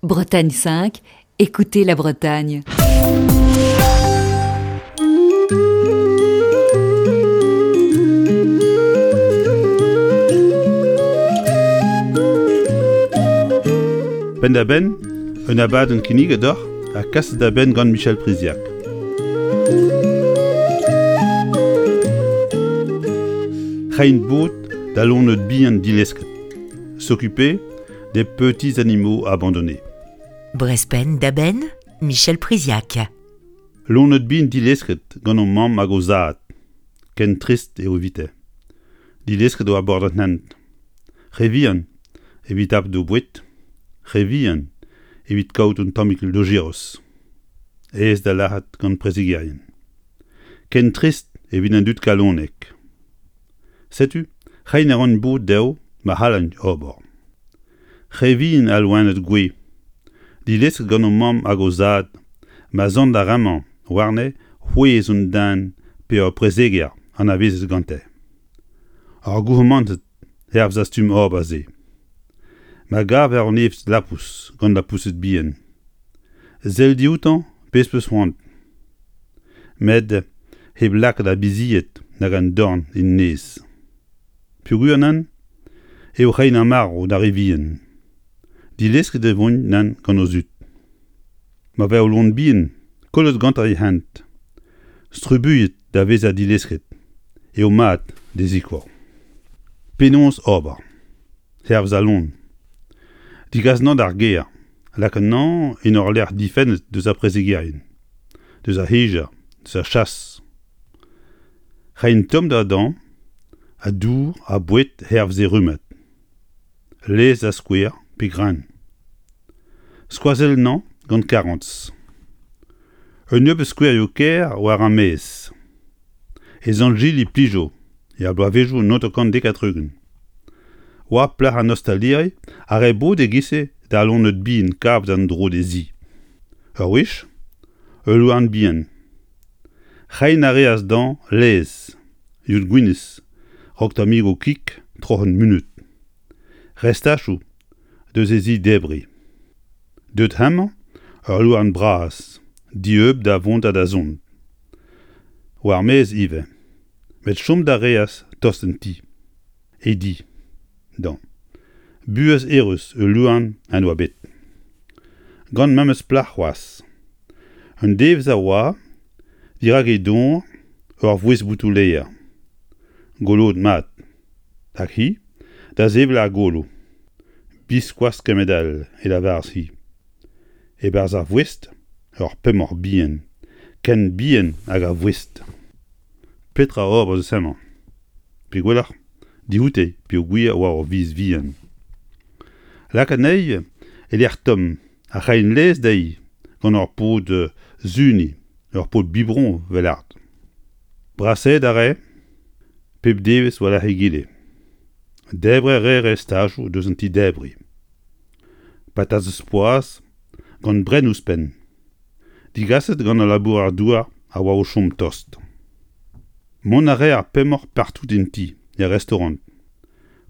Bretagne 5, écoutez la Bretagne. Penn-da-benn, un abadenn kinniget deoc'h ha kaset da benn gant Michel Priziac. Reiñ bod da loened bihan dilesket. S'occuper des petits animaux abandonnés. Brezpenn da benn, Michel Priziac. Loened bihan dilesket gant o mamm hag o zad. Ken trist eo evite. Dilesket war bord an hent. Re vihan evit tapout o boued, re vihan evit kaout un tammig lojeroz. Aes da lâret gant prezegerien. Ken trist evit an dud kalonek. Setu, reiñ a ran bod dezho ma c'hallint ober. Re vihan al loened gouez, dilesket gant o mamm hag o zad, ma sant ar re-mañ warne c'hwezh un den pe ur prezeger anavezet gante. Ar gourmanted hervez ar stumm ober-se. Ma gaver un evn lapous gant lapoused bihan, sell dioutañ pezh 'peus c'hoant. Met hep lakaat ar bizied nag an dorn en nez. Peogwir nann eo reiñ ar marv d'ar re vihan. Dilesket e voint nann gant o zud. Ma vez ul loen bihan kollet gantañ e hent, Strubuilhet da vezañ dilesket eo mat d'e sikour. Penaos ober? Hervez al loen. Degas anezhañ d'ar gêr, lak anezhañ en ur lec'h difennet deus ar prezegerien, deus ar c'hejañ, deus ar chas. Reiñ tommder dezhañ ha dour ha boued hervez e rummad. Laezh da skouer pe greun. Skoazell anezhañ gant karantez. Un nebeud skouerioù kaer war ar maez. E Sant-Jili Plijo er bloavezhioù 1970. Oa plac'h an ostaliri a rae bod e-giz-se da loened bihan kavet en-dro d'he zi. Ur wech, ul louarn bihan. Reiñ a reas dezhañ laezh, yod gwinizh, raok tammigoù kig troc'het munut. Restachoù deus he zi-debriñ. Deut hemañ ul louarn bras, dieub da vont ha da zont. War-maez ivez, met chom da reas tost en ti. E di, dañ. Buhez eürus ul louarn en doa bet. Gant memes plac'h c'hoazh. Un devezh a oa, dirak e dor, ur voest botoù-lêr. Goloet mat. Hag hi da sevel ar golo. Biskoazh kement-all, e lavaras-hi. E-barzh ar voest, ur pemoc'h bihan, ken bihan hag ar voest. Petra ober eus hemañ? Pe gwelloc'h, dioute peogwir oa ur viz vihan. Lak anezhi e lec'h tomm ha reiñ laezh dezhi gant ur pod suniñ, ur pod biberon 'vel art. Brasaet a rae pep devezh war-lerc'h egile. Debriñ a rae restajoù deus an ti-debriñ. Patatez poazh gant brenn ouzhpenn. Digaset gant al labourer-douar a oa o chom tost. Mont a rae ar pemoc'h partout en ti, er restaorant.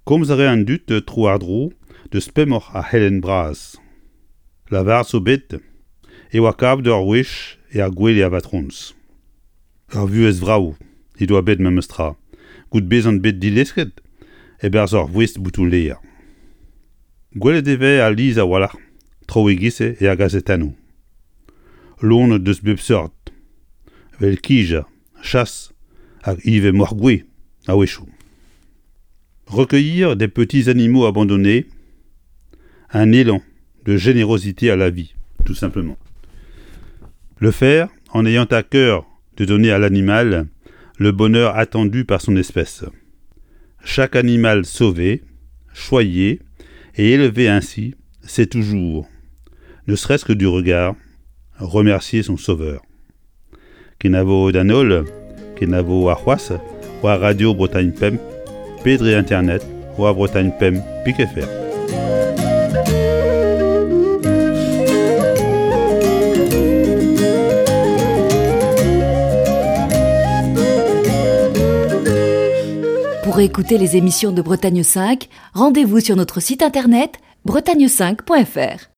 Komz a rae an dud tro-war-dro deus pemoc'h ar c'helenn bras. Lavaret zo bet e oa kavet ur wech er gwele a vatrons. Ur vuhez vrav he doa bet memestra, goude bezañ bet dilesket e-barzh ur voest botoù-lêr. Gwelet e vez alies a-walc'h traoù e-giz-se er gazetennoù. Loened deus bep seurt, 'vel kijañ, chas hag ivez moc'h-gouez a-wechoù. Recueillir des petits animaux abandonnés, un élan de générosité à la vie, tout simplement. Le faire en ayant à cœur de donner à l'animal le bonheur attendu par son espèce. Chaque animal sauvé, choyé et élevé ainsi, sait toujours, ne serait-ce que du regard, remercier son sauveur. Kenavo d'an holl, kenavo arc'hoazh war Radio Bretagne Pemp pe dre internet war Bretagne Pemp pik.fr. Pour écouter les émissions de Bretagne 5, rendez-vous sur notre site internet bretagne5.fr.